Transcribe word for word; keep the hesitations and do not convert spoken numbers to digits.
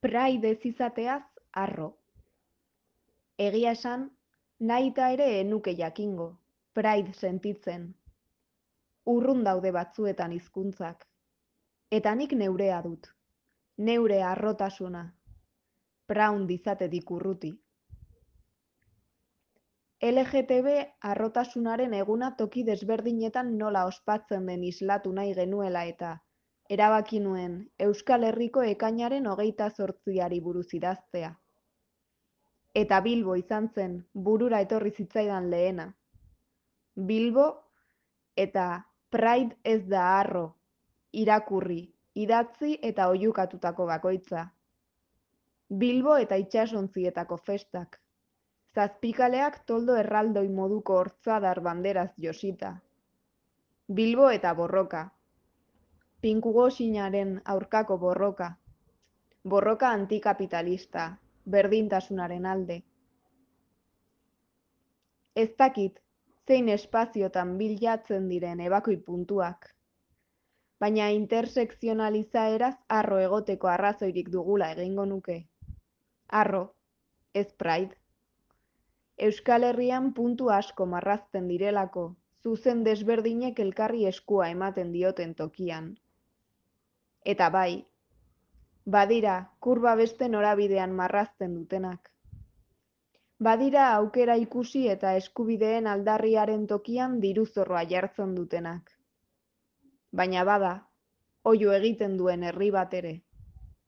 Pride ez izateaz harro. Egia esan, nahita ere enuke jakingo, pride sentitzen. Urrun daude batzuetan hizkuntzak. Eta nik neurea dut, neure harrotasuna, proud izatetik urruti. L G T B harrotasunaren eguna toki desberdinetan nola ospatzen den islatu nahi genuela eta erabaki nuen Euskal Herriko ekainaren hogeita zortziari buruz idaztea. Eta Bilbo izan zen burura etorri zitzaidan lehena. Bilbo eta Pride ez da harro, irakurri, idatzi eta oihukatutako bakoitza. Bilbo eta itsasontzietako festak. Zazpikaleak toldo erraldoi moduko hortzadar banderaz josita. Bilbo eta borroka. Pinkugoxinaren aurkako borroka. Borroka antikapitalista, berdintasunaren alde. Ez dakit, zein espaziotan bilatzen diren ebakoi puntuak. Baina intersekzionalizaeraz harro egoteko arrazoirik dugula egingo nuke. Harro, ez pride. Euskal Herrian puntu asko marrazten direlako, zuzen desberdinek elkarri eskua ematen dioten tokian. Eta bai, badira kurba beste norabidean marrazten dutenak. Badira aukera ikusi eta eskubideen aldarriaren tokian diruzorroa jartzen dutenak. Baina bada, oihu egiten duen herri bat ere.